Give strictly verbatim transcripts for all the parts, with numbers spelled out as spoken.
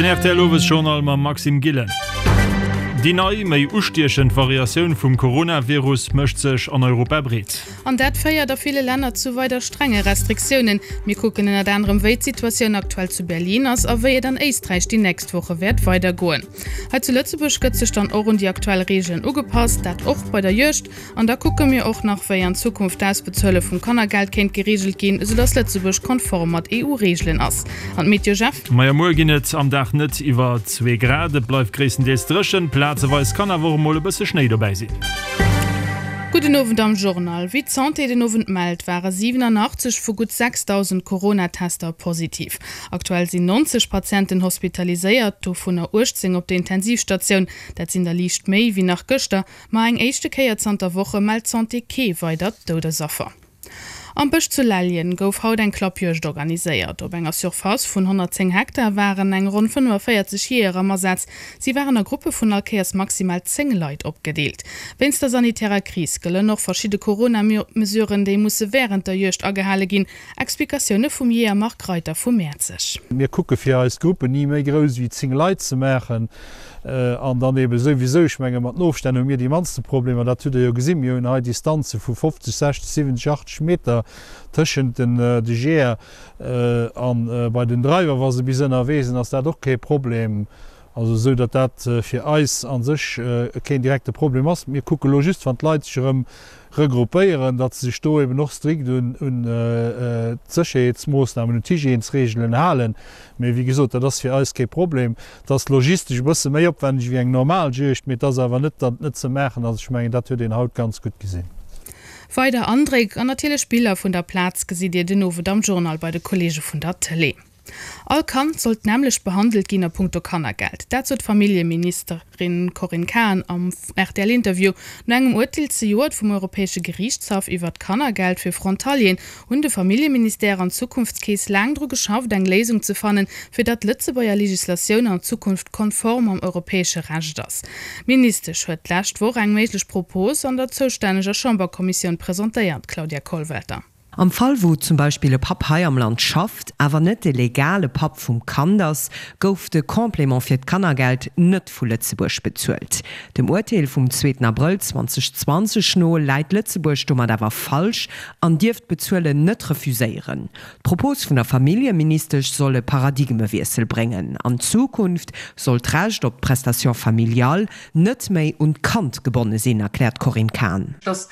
Den R T L Owesjournal mam Maxime Gillen. Déi nei, méi ustiechend Variatioun vum Coronavirus mécht sech an Europa breet. An dat féiert a ville Länner zu weider strenge Restriktiounen. Mir kucken ënnert anerem, wéi d'Situatioun aktuell zu Berlin ass a wéi et an Éisträich déi nächst Woche wäert weidergoen. Hei zu Lëtzebuerg gëtt sech dann och un déi aktuell Reegelen ugepasst, dat och bei der Juegd. An da kucke mir och nach, wéi an Zukunft d'Ausbezuele vum Kannergeld kéint gereegelt ginn, esoudatt Lëtzebuerg konform mat E U-Reegelen ass. An d'Meteo, Jeff? Majo, muer ginn et am Dag net iwwer zwee Grad, et bleift gréisstendeels dréchen, plazeweis kann awer och emol e bësse Schnéi dobäi sinn. Gudden Owend am Journal. Wéi d'Santé den Owend mellt, ware siwenanachtzeg vu gutt sechsdausend Corona-Tester positiv. Aktuell sinn nonzeg Patienten hospitaliséiert, dovunner uechtzéng op der Intensivstatioun. Dat sinn der liicht méi wéi nach gëschter, ma eng éischte Kéier zanter Woche mellt d'Santé kee weidert Doudesaffer. Am Bësch zu Lellgen gouf haut eng Klappjuegd organiséiert. Op enger Surface vun honnertzéng Hektar waren eng ronn fënnefaféierzeg Jeeër am Asaz. Si waren a Gruppe vun all Kéiers maximal zéng Leit opgedeelt. Wéinst der sanitärer Kris gëllen och verschidde Corona-Mesuren, déi musse wärend der Juegd agehale ginn. Explikatioune vum Jeeër Marc Reiter vu Mäerzeg. Mir kucke fir eis Gruppen ni méi grouss wéi zéng Leit ze maachen an dann ebe souwisou, ech menge mat den Ofstänn hu mir déi mannste Problemer, dat hutt Der jo gesinn, mir hunn hei Distanze vu fofzeg, sechzeg, siwwenzeg, achtzeg Meter tëschent den de Jeeër an bei den Dreiwer, wa se bis ënnerwee sinn, ass dat och kee Problem. Also esou datt dat fir eis a sech keen direkte Problem ass. Mir kucke lo just, wann d'Leit sech erëm regroupéieren, datt se sech do eben och strikt un un d'Sécherheetsmoossnamen, un d'Hygiènesreegelen halen. Mee wéi gesot, dat ass fir eis kee Problem. Et ass logistesch e bësse méi opwänneg wéi eng normal Juegd, mee et ass awer net, datt et net ze maachen ass. Ech mengen, dat huet een haut ganz gutt gesinn. Weider Andréck an natierlech Biller vun der Plaz gesitt Dir den Owend am Journal bei de Kolleege vun der Tëlee. All Kand sollt d'nämmlecht behandelt ginn a punkto Kannergeld. Dat sot d'Familljeministerin Corinne Cahen am R T L-Interview. No engem Urteel zejoert vum Europäesche Geriichtshaff iwwert d'Kannergeld fir Frontalieren hunn de Familljeministère an d'Zukunftskeess laang dru geschafft, eng Léisung ze fannen, fir datt d'Lëtzebuerger Legislatioun an Zukunft konform mam europäesche Recht ass. D'Ministesch huet d'lescht Woch eng méiglech Propos an der zoustänneger Chamberkommissioun presentéiert, Claudia Kollwelter. Am Fall wou zum Beispill e Papp hei am Land schafft, awer net de legale Papp vum Kand ass, gouf de Complément fir d'Kannergeld net vu Lëtzebuerg bezuelt. Dem Urteel vum zweeten Abrëll zweedausendzwanzeg no läit Lëtzebuerg domat awer falsch an dierft d'Bezuelen net refuséieren. D'Propos vun der Familljeministesch soll e Paradigmewiessel bréngen. An Zukunft soll d'Recht op d'Prestation familiale net méi un d'Kand gebonne sinn, erkläert d'Corinne Cahen. Dass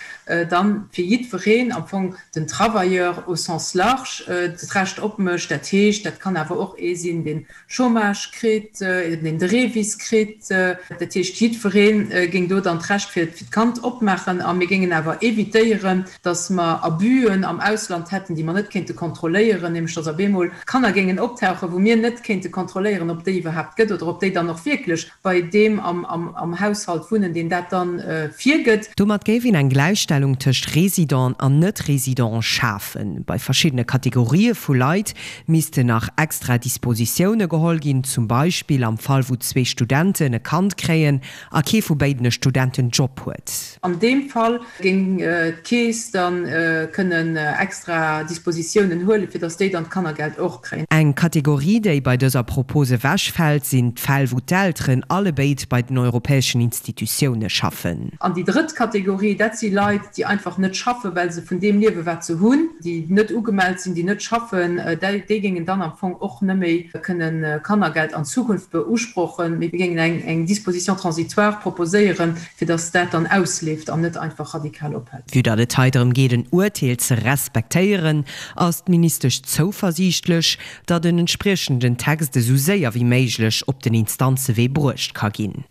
dann fir jiddwereen am Fong den Travailleur au sens large d'Recht opmécht. Dat heescht, dat kann awer och ee sinn, deen Chômage kritt, deen de REVIS kritt. Dat heescht, jiddweree géing do dann d'Recht fir d'Kand opmaachen. A mir géingen awer évitéieren, dass mer Abüen am Ausland hätten, déi mer net kéinte kontrolléieren, nämlech dass op eemol Kanner géingen optauchen, wou mir net kéinte kontrolléieren, ob déi iwwerhaapt gëtt oder ob déi dann och wierklech bei deem am Haushalt wunnen, deen dat dann virgëtt. Domat géif een eng Gläichstellung tëscht Resident an Net-Resident schafen. Bei verschiddene Kategorië vu Leit missten nach extra Dispositioune geholl ginn, zum Beispill am Fall wou zwee Studenten e Kand kréien a kee vu béiden e Studentenjob huet. An deem Fall géing d'Keess da kënnen extra Dispositiounen huelen, fir datt déi dann d'Kannergeld och kréien. Eng Kategorie, déi bei dëser Propos ewechfält, sinn d'Fäll wou d'Elteren allebéid bei den europäeschen Institutioune schaffen. An déi drëtt Kategorie, dat si Leit, déi einfach net schaffen, well se vun deem liewen, wat se hunn, déi net ugemellt sinn, déi net schaffen, déi géingen dann am Fong och net méi kënnen Kannergeld an Zukunft beusprochen. Mee mir géingen eng Disposition transitoire proposéieren, fir datt dat dann ausleeft an net einfach radikal ophält. Vue datt et hei drëm geet, en Urteel ze respektéieren, ass d'Ministesch zouversiichtlech, datt en entspriechenden Text esou séier wéi méiglech op den Instanzewee bruecht ka ginn.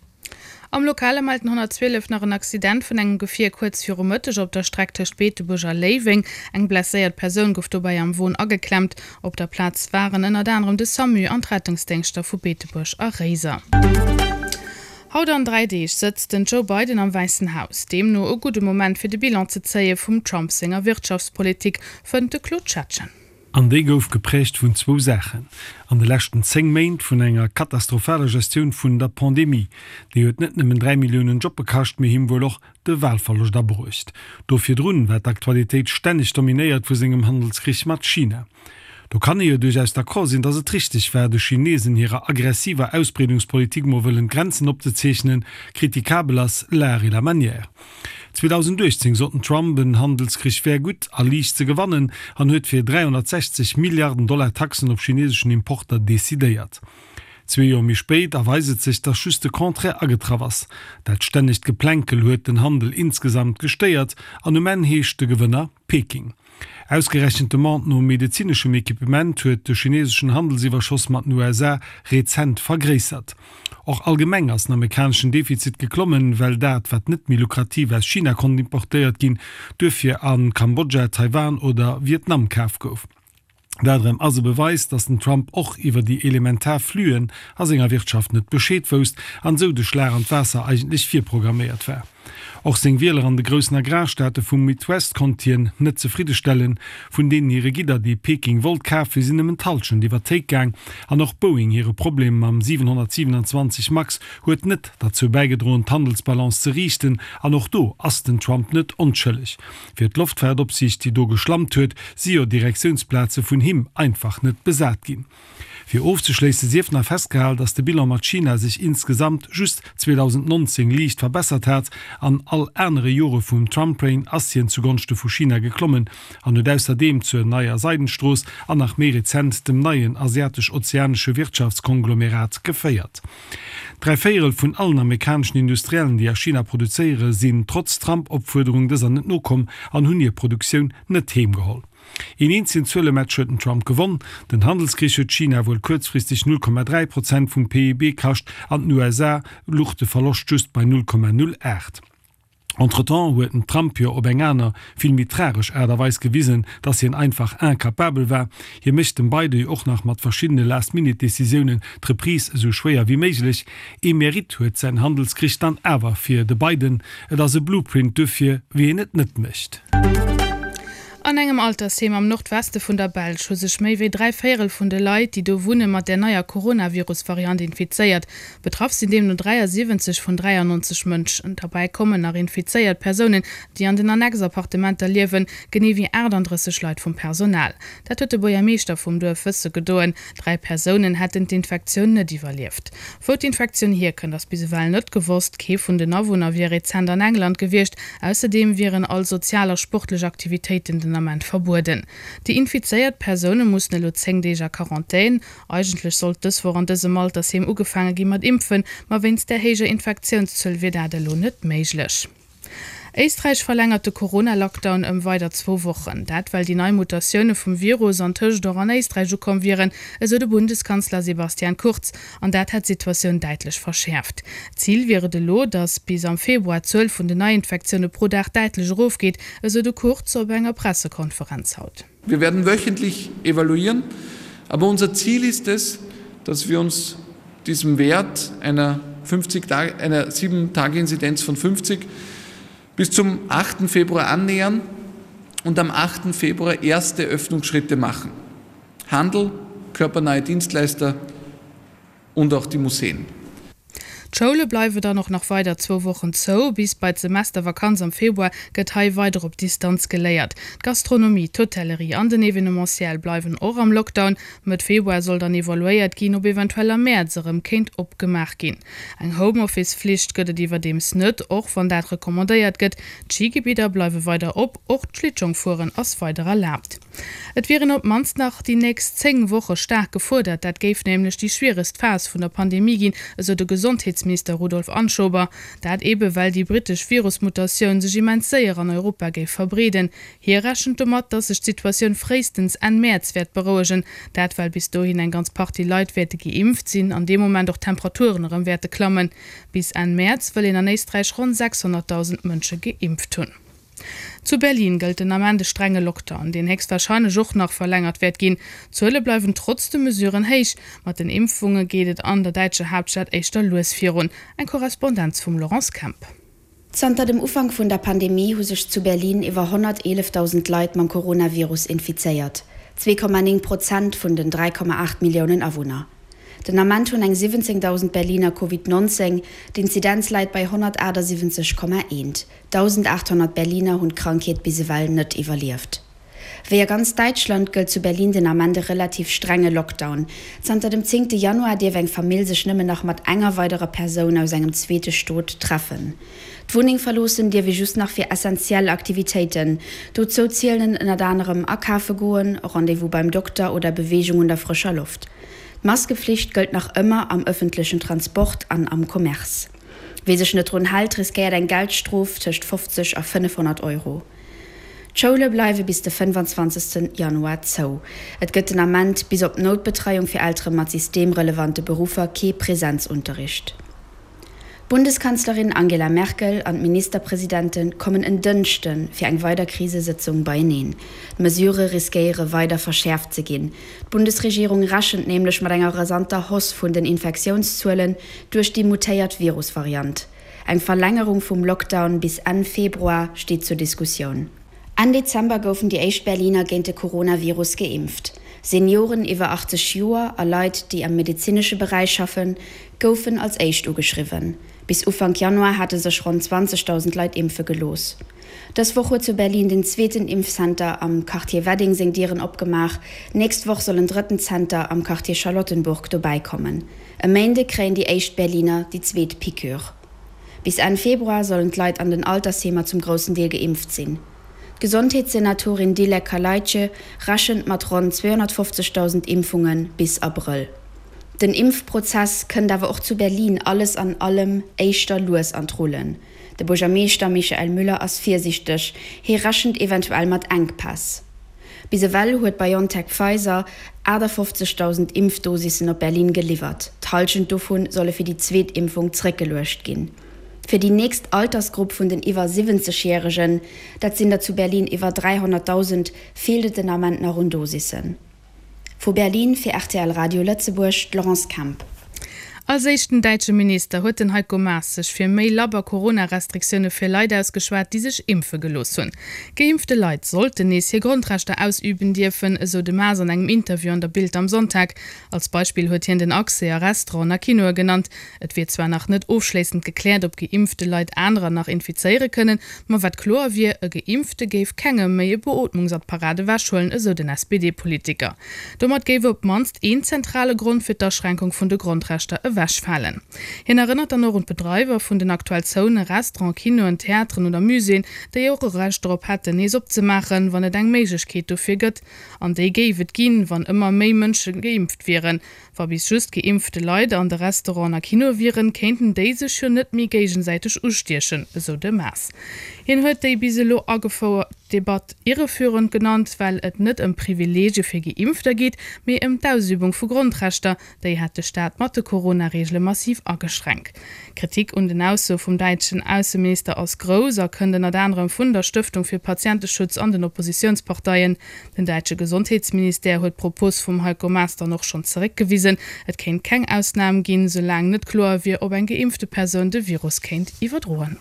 Am Lokale mellt den honnertzwielef nach en Accident vun engem Gefier kuerz viru Mëtteg op der Streck tëscht Beetebuerg a Léiweng. Eng blesséiert Persoun gouf dobäi am Won ageklemmt. Op der Plaz waren ënnert anerem de SAMU an d'Rettungsdéngschter vu Beetebuerg a Réiser. Haut an dräi Deeg sëtzt den Joe Biden am Wäissen Haus. Deemno e gudde Moment fir de Bilan ze zéie vum Trump senger Wirtschaftspolitik, fënnt de Claude Schettgen. An déi gouf geprägt vun zwou Saachen, an de leschten zéng Méint vun enger katastrophaler Gestioun vun der Pandemie, déi huet net nëmmen dräi Milliounen Jobbe kascht, mee him wuel och de Wahlverloscht abruecht. Do virdrun war d'Aktualitéit stänneg dominéiert vu sengem Handelskrich mat China. Do kann ee jo duerchaus d'accord sinn, dass et richteg war, de Chinesen hirer aggressiver Ausbreedungspolitik mol wëllen Grenzen opzezeechnen. Kritikabel ass l'art et la manière. zweedausenduechtzéng sot den Trump, en Handelskrich wär gutt a liicht ze gewannen an huet fir dräihonnertsechzeg Milliarden Dollar Taxen op chineseschen Importer decidéiert. Zwee Joer méi spéit erweist et sech, dass just de Contraire agetraff ass. Dat stännegt Geplänkel huet den Handel insgesamt gestéiert an um Enn heescht de Gewënner Peking. Ausgerechent d'Demande no medezineschem Equipement huet de chineseschen Handelsiwwerschoss mat den U S A rezent vergréissert. Och allgemeng ass den amerikaneschen Defizit geklommen, well dat, wat net méi lukrativ aus China konnt importéiert ginn, duerfir a Kambodja, Taiwan oder Vietnam kaf gouf. Dat erëm ass e Beweis, datt den Trump och iwwer déi elementar Flüen a senger Wirtschaft net Bescheed wousst an esou de Schlag an d'Waasser eigentlech virprogramméiert war. Och seng Wieler an de groussen Agrarstaate vum Midwest konnt hien net zefriddestellen. Vun deenen hire Gidder, déi Peking wollt kafen, sinn nëmmen d'Hallschent iwwer d'Théik gaang. An och Boeing hire Problem mam siwenhonnertsiwenanzwanzeg Max huet net derzou bäigedroen, d'Handelsbalance ze riichten. An och do ass den Trump net onschëlleg. Fir d'Loftfaartopsiicht, déi do geschlampt huet, si jo Direktiounsplaze vun him einfach net besat ginn. Fir ofzeschléisse sief nach festgehal, datt de Bilan mat China sech insgesamt just zweedausendnonzéng liicht verbessert hat, an all anere Jore vum Trump-Reign ass hien zugonschte vu China geklommen an huet ausserdeem zur neier Seidenstrooss an nach méi rezent dem neien asiatesch-ozeanesche Wirtschaftskonglomerat geféiert. Dräi Véierel vun allen amerikaneschen Industriellen, déi a China produzéiere, sinn trotz Trump-Opfuerderung dëser net nokomm an hunn hir Produktioun net heemgeholl. Een eenzegen Zuelematch huet den Trump gewonn, Den Handelskrich huet China wuel kuerzfristeg null Komma dräi Prozent vum P I B kascht, an den U S A luch de Verloscht just bei null Komma null aacht. Entretemps huet den Trump jo op eng aner, vill méi tragesch Aart a Weis gewisen, dass hien einfach incapabel war. Hie mécht dem Biden jo och nach mat verschiddene Last-Minute-Decisiounen d'Reprise esou schwéier wéi méiglech. Ee Mérite huet säin Handelskrich dann awer fir de Biden, et ass e Blueprint dofir, wéi een et net mécht. An engem Altersheem am Nordweste vun der Belsch hu sech méi wéi dräi Véierel vun de Leit, déi do wunnen, mat der neier Coronavirus-Variant infizéiert. Betraff sinn deemno dräiasiwwenzeg vun dräiannonzeg Mënschen. Derbäi kommen nach infizéiert Persounen, déi an den Annex-Appartementer liewen, genee wéi aachtanddrësseg Leit vum Personal. Dat huet de Buergermeeschter vum Duerf wësse gedoen. Dräi Persounen hätten d'Infektioun net iwwerlieft. Wou d'Infektioun hierkënnt, ass bis ewell net gewosst. Kee vun den Awunner wier rezent an England gewiescht. Ausserdeem wieren all sozial a sportlech Aktivitéiten den Ament verbueden. Déi infizéiert Persoune mussen elo zéng Deeg a Quarantän. Eigentlech sollt dës Woch an dësem Altersheem ugefaange gi mat impfen, ma wéinst der héijer Infektiounszuel wier dat elo net méiglech. Éisträich verlängert de Corona-Lockdown ëm weider zwou Wochen. Dat well déi nei Mutatioune vum Virus antëscht och an Éisträich ukomm wieren, esou de Bundeskanzler Sebastian Kurz. An dat hätt d'Situatioun däitlech verschäerft. Zil wier et elo, datt bis am Februar d'Zuel vun den Neiinfektioune pro Dag däitlech erofgeet, esou de Kurz op enger Pressekonferenz haut. Wir werden wöchentlich evaluieren, aber unser Ziel ist es, dass wir uns diesem Wert einer fünfzig Tage, einer sieben Tage Inzidenz von fünfzig bis zum achten Februar annähern und am achten Februar erste Öffnungsschritte machen. Handel, körpernahe Dienstleister und auch die Museen. D'Schoule bleiwe dann och nach weider zwou Wochen zou. Bis bei d'Semestervakanz am Februar gëtt hei weider op Distanz geléiert. D'Gastronomie, d'Hotellerie an den Evenementiel bleiwen och am Lockdown. Mëtt Februar soll dann evaluéiert ginn, ob eventuell am Mäerz erëm kéint opgemaach ginn. Eng Homeoffice-Flicht gëtt et iwwerdeems net, och wann dat recommandéiert gëtt. D'Schigebidder bleiwe weider op, och d'Schlittschongfueren ass weider erlaabt. Et wier een op d'mannst nach déi nächst zéng Woche staark gefuerdert, dat géif nämlech déi schwieregst Phas vun der Pandemie ginn, esou de Gesondheetsminister Rudolf Anschober. Dat ebe well déi brittesch Virusmutatioun sech immens séier an Europa géif verbreeden. Hie rechent domat, datt sech d'Situatioun fréistens Enn Mäerz wäert berouegen. Dat well bis dohin eng ganz Partie Leit wäerte geimpft sinn an dee Moment och d'Temperaturen erëm wäerte klammen. Bis Enn Mäerz wëll een an Éisträich ronn sechshonnertdausend Mënsche geimpft hunn. Zu Berlin gëllt den Ament e strenge Lockdown, deen héchstwarscheinlech och nach verlängert wäert ginn. D'Zuele bleiwen trotz de Mesuren héich. Mat den Impfunge geet et an der däitscher Haaptstad éischter lues virun. Eng Korrespondenz vum Laurence Kemp. Zanter dem Ufank vun der Pandemie hu sech zu Berlin iwwer honnerteelefdausend Leit mam Coronavirus infizéiert, zwee Komma néng Prozent vun den dräi Komma aacht Milliounen Awunner. Den Ament hunn eng siwwenzéngdausend Berliner Covid nonzéng, d'Inzidenz läit bei honnertaachtsiwwenzeg Komma eent. dausendaathonnert Berliner hunn d'Krankheet bis ewell net iwwerlieft. Wéi a ganz Däitschland gëllt zu Berlin den Ament e relativ strenge Lockdown. Zanter dem zéngte Januar dierf eng Famill sech nëmmen nach mat enger weiderer Persoun aus engem zweete Stot treffen. D'Wunneng verloossen dierf ee just nach fir essentiell Aktivitéiten. Dozou zielen ënnert anerem akafe goen, Rendez-vous beim Dokter oder Beweegung un der frëscher Loft. D'Maskeflicht gëllt nach ëmmer am ëffentlechen Transport an am Commerce. Wie sech net drun hält, riskéiert eng Geldstrof tëscht fofzeg a fënnefhonnert Euro. D'Schoule bleiwe bis de fënnefanzwanzegsten Januar zou. Et gëtt den Ament, bis op d'Noutbetreiung fir Eltere mat systemrelevante Beruffer, kee Presenzunterricht. D'Bundeskanzlerin Angela Merkel an d'Ministerpresidente kommen en Dënschde fir eng weider Krisesëtzung beieneen. D'Mesurë riskéiere weider verschäerft ze ginn. D'Bundesregierung rechent nämlech mat enger rasanter Hausse vun den Infektiounszuelen duerch déi mutéiert Virusvariant. Eng Verlängerung vum Lockdown bis Enn Februar steet zur Diskussioun. Enn Dezember goufen déi éischt Berliner géint de Coronavirus geimpft. Senioren iwwer achtzeg Joer a Leit, déi am medezinesche Beräich schaffen, goufen als éischt ugeschriwwen. Bis Ufank Januar hate sech ronn zwanzegdausend Leit impfe gelooss. Dës Woch huet zu Berlin den zweeten Impfcenter am Quartier Wedding seng Dieren opgemaach. Nächst Woch soll en drëtten Zenter am Quartier Charlottenburg dobäi kommen. E Méinde kréien déi éischt Berliner déi zweet Piqûre. Bis Enn Februar sollen d'Leit an den Altersheemer zum groussen Deel geimpft sinn. D'Gesondheetssenatorin Dilek Kalayci rechent mat ronn zweehonnertfofzegdausend Impfunge bis Abrëll. Den Impfprozess kënnt awer och zu Berlin alles an allem éischter lues an d'Rullen. De Buergermeeschter Michael Müller ass virsiichteg, hie rechent eventuell mat Enkpäss. Bis ewell huet BioNTech-Pfizer achtafofzegdausend Impfdosissen op Berlin geliwwert. D'Hallschent dovu solle fir déi zweet Impfung zeréckgeluecht ginn. Fir déi nächst Altersgrupp vun den iwwer siwwenzeg Järegen, dat sinn der zu Berlin iwwer dräihonnertdausend, feelt et den Ament nach un Dosissen. Vu Berlin fir rtl Radio Lëtzebuerg, d'Laurence Kemp. Als éischten däitsche Minister huet den Heiko Maas sech fir méi labber Corona-Restriktioune fir Leit ausgeschwat, déi sech impfe gelooss hunn. Geimpfte Leit sollten nees hir Grondrechter ausüben dierfen, esou de Maas an engem Interview an der Bild am Sonntag. Als Beispill huet hien den Accès a Restauranten a Kinoe genannt. Et wier zwar nach net ofschléissend gekläert, ob geimpfte Leit anerer nach infizéiere kënnen, ma wat kloer wier, E Geimpfte géif kengem méi e Beootmungsapparat ewechhuelen, esou den S P D-Politiker. Domat géif op d'mannst een zentrale Grond fir d'Aschränkung vun de Grondrechter ewechfalen. Hien erënnert dann och un d'Bedreiwer vun den aktuell zoune Restauranten, Kinoen, Theateren oder Muséeën, déi och e Recht dorop hätten, nees opzemaachen, wann et eng Méiglechkeet dofir gëtt. An déi géif et ginn, wann ëmmer méi Mënsche geimpft wieren. Wa bis just geimpfte Leit an de Restauranten a Kinoe wieren, kéinten déi sech jo net méi géigesäiteg ustiechen, esou de Maas. Hien huet déi bis elo agefouert Debatt irreführend genannt, well et net ëm Privileegie fir Geimpfter geet, mee ëm d'Ausübung vu Grondrechter. Déi hätt de Staat mat de Corona-Reegele massiv ageschränkt. D'Kritik un den Aussoe vum däitschen Ausseminister ass grouss a kënnt ënnert anerem vun der Stëftung fir Patienteschutz an den Oppositiounsparteien. Den däitsche Gesondheetsministère huet d'Propos vum Heiko Maas dann och schonn zeréckgewisen. Et kéint keng Ausnam ginn, soulaang net kloer wier, ob eng geimpfte Persoun de Virus kéint iwwerdroen.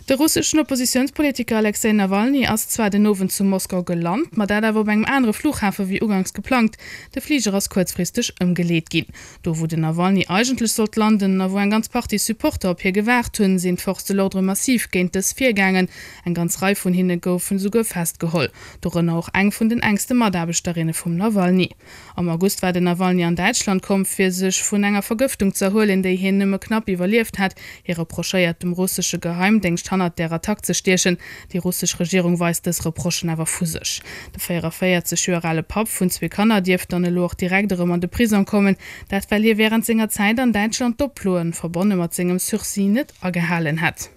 De russeschen Oppositiounspolitiker Alexej Nawalny ass zwar den Owend zu Moskau gelant, ma dat awer op engem anere Flughafe wéi uganks geplangt. De Fliger ass kuerzfristeg ëmgeleet ginn. Do wou den Nawalny eigentlech sollt landen a wou eng ganz Partie Supporter op hie gewaart hunn, sinn d'Forces de l'ordre massiv géint dës virgaangen. Eng ganz Rei vun hinne goufen esouguer festgeholl, dorënner och eng vun den enkste Mataarbechterinne vum Nawalny. Am August war den Nawalny an Däitschland komm, fir sech vun enger Vergëftung z'erhuelen, déi hien nëmme knapp iwwerlieft hat. Hie reprochéiert dem russesche Geheimdéngscht hannert där Attack ze stiechen. Déi russesch Regierung weist dës Reprochen awer vu sech. De véieraféierzeg Joer ale Papp vun zwee Kanner dierft dann elo och direkt erëm an de Prisong kommen, dat well hie wärend senger Zäit an Däitschland d'Oploen, verbonne mat sengem Sursis, net agehalen hätt.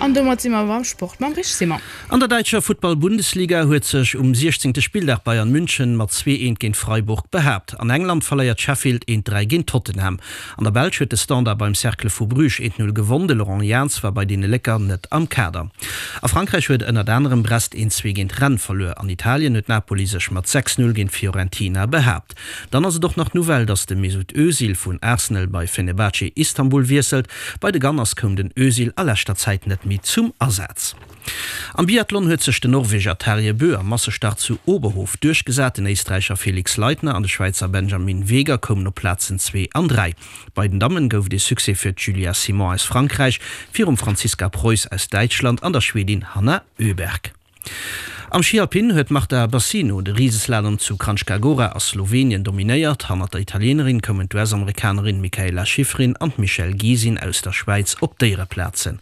An domat si mer beim Sport mam Rich Simon. An der däitscher Futtball-Bundesliga huet sech um siechzéngte Spilldag Bayern München mat zwee eent géint Freiburg behaapt. An England verléiert Sheffield eent dräi géint Tottenham. An der Belsch huet de Standard beim Cercle vu Bruges eent null gewonn. De Laurent Jans war bei deene Lécker net am Kader. A Frankräich huet ënnert anerem Brest eent zwee géint Rennes verluer. An Italien huet Napoli sech mat sechs null géint Fiorentina behaapt. Dann ass et och nach d'Nouvelle, datt de Mesut Özil vun Arsenal bei Fenerbahce Istanbul wiesselt. Bei de Gunners koum den Özil a leschter Zäit net méi méi zum Asaz. Am Biathlon huet sech den Norweger Tarjei Bø am Massestart zu Oberhof duerchgesat. Den Éisträicher Felix Leitner an de Schwäizer Benjamin Weger koumen op Plazen zwee an dräi. Bei den Dammen gouf et ee Succès fir d'Julia Simon aus Frankräich virum Franziska Preuß aus Däitschland an der Schwedin Hanna Öberg. Am Schi Alpin huet d'Marta Bassino de Riseslalom zu Kranjska Gora a Slowenien dominéiert. Hannert der Italienerin koumen d'US-Amerikanerin Mikaela Shiffrin an d'Michelle Gisin aus der Schwäiz op d'Éiereplazen.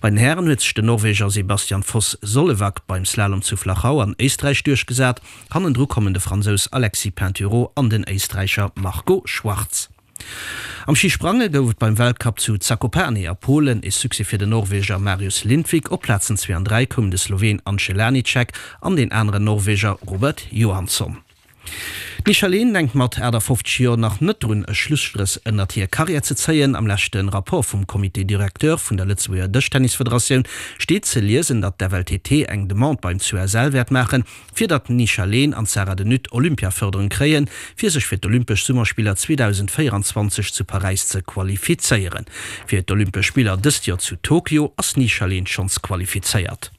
Bei den Hären huet sech den Norweger Sebastian Foss Sollevak beim Slalom zu Flachau an Éisträich duerchgesat. Hannendru kommen de Fransous Alexis Pinturault an den Éisträicher Marco Schwarz. Am Schisprange gouf et beim Weltcup zu Zakopane a Polen e Succès fir den Norweger Marius Lindvik. Op Plazen zwee an dräi koumen de Sloween Anže Laniček an deen aneren Norweger Robert Johansson. D'Michèle Lehn denkt mat achtafofzeg Joer nach net drun, e Schlusstréch ënnert hir Karriär ze zéien. Am leschte Rapport vum Comité directeur vun der Lëtzebuerger Dëschtennisfederatioun steet ze liesen, datt d'FLTT eng Demande beim CUSL wäert maachen, fir datt d'Nisha Lehn an d'Sarah de Nuth Olympiafërderung kréien, fir sech fir d'Olympesch Summerspiller zweedausendvéierundzwanzeg zu Paräis ze qualifizéieren. Fir d'Olympesch Spiller dëst Joer zu Tokio ass d'Nisha Lehn schonns qualifizéiert.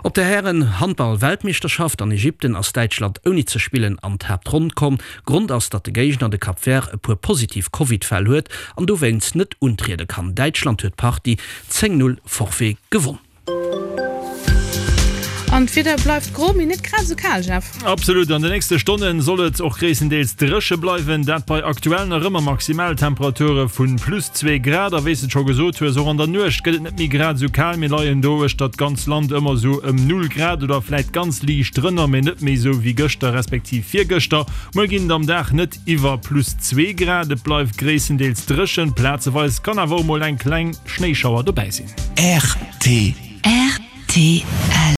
Op der Hären-Handball-Weltmeeschterschaft an Ägypten ass Däitschland ouni ze spillen an d'Haaptronn komm. Grond ass, datt de Géigner, de Cap Vert, e puer positiv Covid-Fäll huet an dowéinst net untriede kann. Däitschland huet d'Partie zéng, null Forfait gewonn. An d'Wieder bleift gro, mee net grad esou kal, Jeff. Absolut, an de nächste Stonne soll et och gréisstendeels dréche bleiwen, dat bei aktuell nach ëmmer Maximaltemperature vu plus zwee Grad. A wéi s de et scho gesot hues, och an der Nuecht gëtt et net méi grad esou kal. Mir leien do uechter d'ganz Land ëmmer esou ëm null Grad oder vläit ganz liicht drënner, mee net méi esou wéi gëschter respektiv virgëschter. Muer ginn et am Dag net iwwer plus zwee Grad, et bleift gréisstendeels dréchen, plazeweis kann awer och mol eng kleng Schnéischauer dobäi sinn. Rtl.